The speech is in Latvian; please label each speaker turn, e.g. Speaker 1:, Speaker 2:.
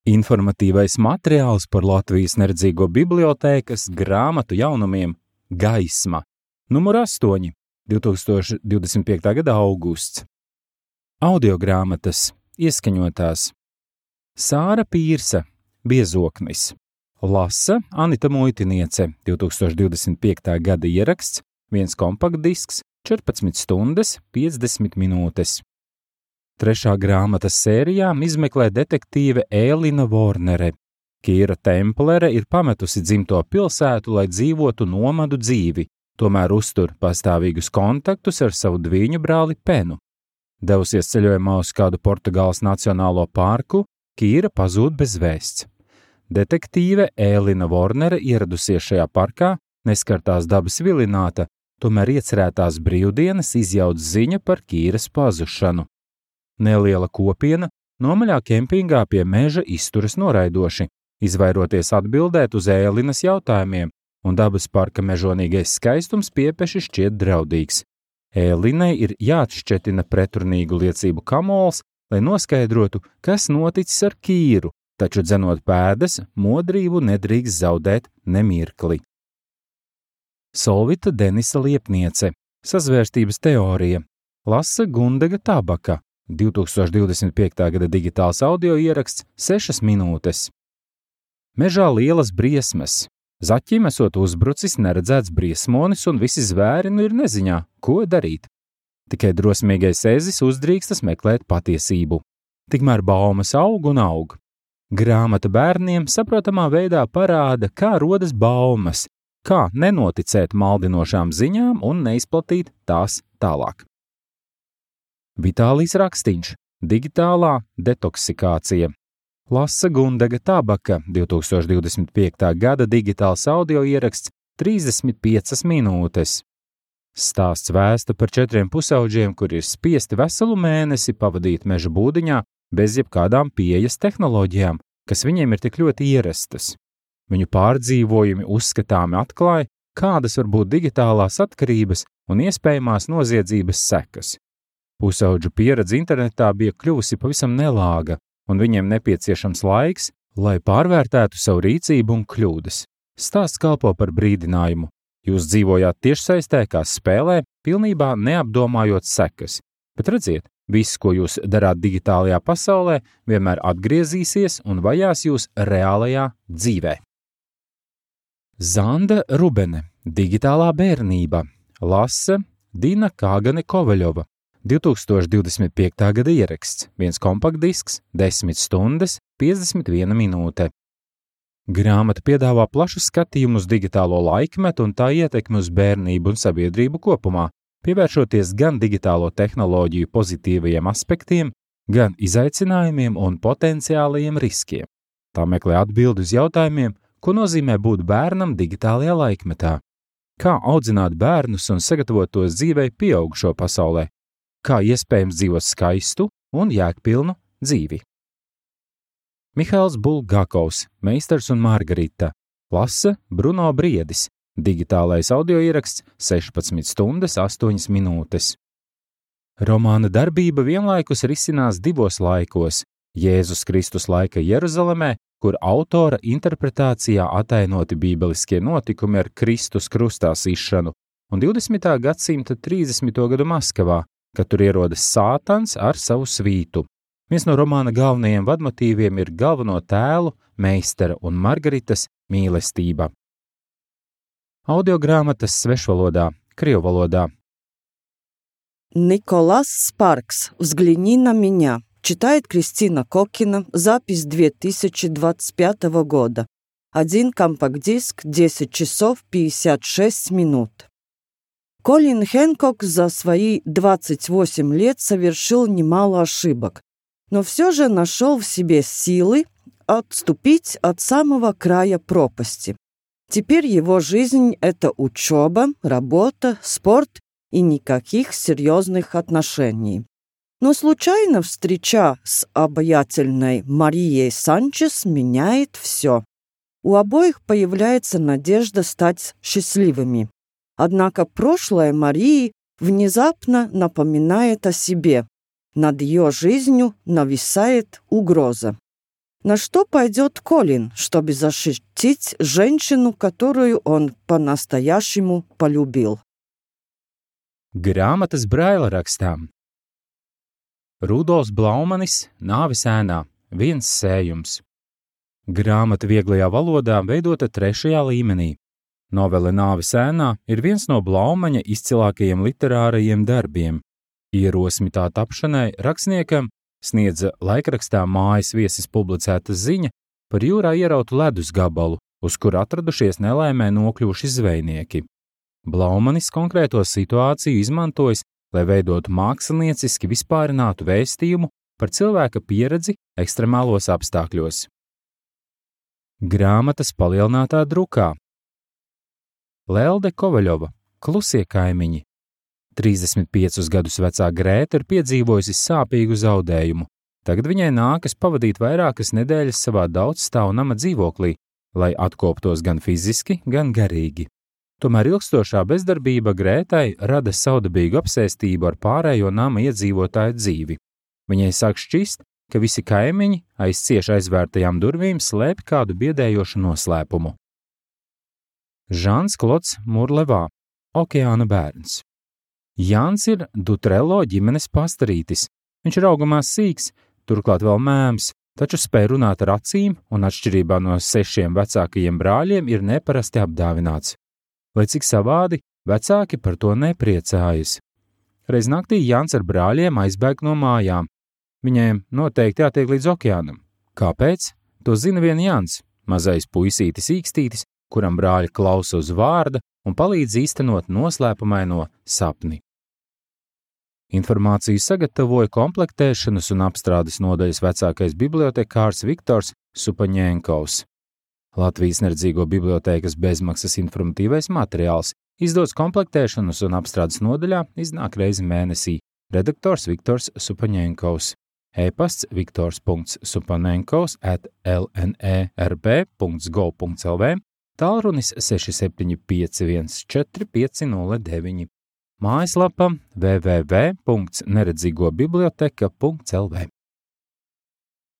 Speaker 1: Informatīvais materiāls par Latvijas neredzīgo bibliotēkas grāmatu jaunumiem Gaisma, numur 8, 2025. gada augusts. Audiogrāmatas ieskaņotās Sāra Pīrsa, Biezoknis. Lasa Anita Muitiniece, 2025. gada ieraksts, 1 kompaktdisks, 14 stundas, 50 minūtes. Trešā grāmatas sērijā izmeklē detektīve Ēlina Vornere. Kīra Templere ir pametusi dzimto pilsētu, lai dzīvotu nomadu dzīvi, tomēr uztur pastāvīgus kontaktus ar savu dvīņu brāli Penu. Devusies ceļojumā uz kādu Portugāles nacionālo parku, Kīra pazūd bez vēsts. Detektīve Ēlina Vornere ieradusies šajā parkā, neskartās dabas vilināta, tomēr iecerētās brīvdienas izjauc ziņa par Kīras pazušanu. Neliela kopiena nomaļā kempingā pie meža izturas noraidoši, izvairoties atbildēt uz Ēlinas jautājumiem, un dabas parka mežonīgais skaistums piepeši šķiet draudīgs. Ēlinai ir jāatšķetina pretrunīgu liecību kamols, lai noskaidrotu, kas noticis ar Kīru, taču dzenot pēdas, modrību nedrīkst zaudēt nemirkli. Solvita Denisa Liepniece, Sazvērstības teorija. Lasa Gundega Tabaka, 2025. gada digitāls audio ieraksts, 6 minūtes. Mežā lielas briesmas. Zaķim esot uzbrucis neredzēts briesmonis un visi zvēri ir neziņā, ko darīt. Tikai drosmīgais ezis uzdrīkstas meklēt patiesību. Tikmēr baumas aug un aug. Grāmata bērniem saprotamā veidā parāda, kā rodas baumas, kā nenoticēt maldinošām ziņām un neizplatīt tās tālāk. Vitālijs Rakstīņš, digitālā detoksikācija. Lasa Gundega Tabaka, 2025. gada digitāls audio ieraksts, 35 minūtes. Stāsts vēsta par 4 pusauģiem, kuri ir spiesti veselu mēnesi pavadīt meža būdiņā bez jebkādām pieejas tehnoloģijām, kas viņiem ir tik ļoti ierastas. Viņu pārdzīvojumi uzskatāmi atklāja, kādas var būt digitālās atkarības un iespējamās noziedzības sekas. Pusauģu pieredze internetā bija kļuvusi pavisam nelāga, un viņiem nepieciešams laiks, lai pārvērtētu savu rīcību un kļūdas. Stāsts kalpo par brīdinājumu. Jūs dzīvojāt tiešsaistē kā spēlē, pilnībā neapdomājot sekas, bet redziet, viss, ko jūs darāt digitālajā pasaulē, vienmēr atgriezīsies un vajās jūs reālajā dzīvē. Zanda Rubene, Digitālā bērnība. Lasa Dina Kāgane Kovaļova, 2025. gada ieraksts, 1 kompaktdisks, 10 stundas, 51 minūte. Grāmata piedāvā plašu skatījumu uz digitālo laikmetu un tā ietekmi uz bērnību un sabiedrību kopumā, pievēršoties gan digitālo tehnoloģiju pozitīvajiem aspektiem, gan izaicinājumiem un potenciālajiem riskiem. Tā meklē atbildi uz jautājumiem, ko nozīmē būt bērnam digitālajā laikmetā, kā audzināt bērnus un sagatavot tos dzīvei pieaugušo pasaulē, kā iespējams dzīvot skaistu un jēgpilnu dzīvi. Mihails Bulgakovs, Meistars un Margarita. Lasa Bruno Briedis, digitālais audio ieraksts, 16 stundas, 8 minūtes. Romāna darbība vienlaikus risinās 2 laikos – Jēzus Kristus laika Jeruzalemē, kur autora interpretācijā atainoti bībeliskie notikumi ar Kristus krustā sišanu, un 20. gadsimta 30. gadu Maskavā, kad tur ierodas Sātans ar savu svītu. Viens no romāna galvenajiem vadmotīviem ir galveno tēlu, Meistara un Margaritas mīlestība. Audiogrāmatas svešvalodā, krievvalodā.
Speaker 2: Николас Спаркс, «Взгляни на меня». Читает Кристина Кокина. Запись 2025 года. 1 компакт-диск, 10 часов 56 минут. Колин Хэнкок за свои 28 лет совершил немало ошибок, но все же нашел в себе силы отступить от самого края пропасти. Теперь его жизнь – это учеба, работа, спорт и никаких серьезных отношений. Но случайно встреча с обаятельной Марией Санчес меняет все. У обоих появляется надежда стать счастливыми. Однако прошлое Марии внезапно напоминает о себе. Над ее жизнью нависает угроза. На что пойдет Колин, чтобы защитить женщину, которую он по-настоящему полюбил?
Speaker 1: Grāmatas Braila rakstām. Rudolfs Blaumanis, Nāves ēnā, viens sējums. Grāmata vieglajā valodā veidota 3. līmenī. Novele Nāves ēnā ir viens no Blaumaņa izcilākajiem literārajiem darbiem. Ierosmi tā tapšanai rakstniekam sniedza laikrakstā Mājas viesis publicēta ziņa par jūrā ierautu ledus gabalu, uz kur atradušies nelaimē nokļuvuši zvejnieki. Blaumanis konkrēto situāciju izmantojis, lai veidotu mākslinieciski vispārinātu vēstījumu par cilvēka pieredzi ekstremālos apstākļos. Grāmatas palielinātā drukā. Lelde Kovaļova, Klusie kaimiņi. 35 gadus vecā Grēta ir piedzīvojusi sāpīgu zaudējumu. Tagad viņai nākas pavadīt vairākas nedēļas savā daudzstāvu nama dzīvoklī, lai atkoptos gan fiziski, gan garīgi. Tomēr ilgstošā bezdarbība Grētai rada saudabīgu apsēstību ar pārējo nama iedzīvotāju dzīvi. Viņai sāk šķist, ka visi kaimiņi aiz cieši aizvērtajām durvīm slēpj kādu biedējošu noslēpumu. Žans Klods Murlevā, Okeāna bērns. Jānis ir Dutrello ģimenes pastarītis. Viņš ir augamā sīks, turklāt vēl mēms, taču spēj runāt ar acīm un atšķirībā no 6 vecākajiem brāļiem ir neparasti apdāvināts. Lai cik savādi, vecāki par to nepriecājas. Reiz naktī Jānis ar brāļiem aizbēg no mājām. Viņiem noteikti jātiek līdz okeānam. Kāpēc? To zina vien Jānis, mazais puisītis īkstītis, kuram brāļi klausa uz vārda un palīdz īstenot noslēpumaino sapni. Informāciju sagatavoja komplektēšanas un apstrādes nodaļas vecākais bibliotekārs Viktors Supaņenkovs. Latvijas neredzīgo bibliotēkas bezmaksas informatīvais materiāls izdots komplektēšanas un apstrādes nodaļā iznāk reizi mēnesī. Redaktors Viktors Supaņenkovs. E-pasts viktors.supaņenkovs@lnerb.gov.lv, tālrunis 67514509. Mājaslapa www.neredzīgobiblioteka.lv.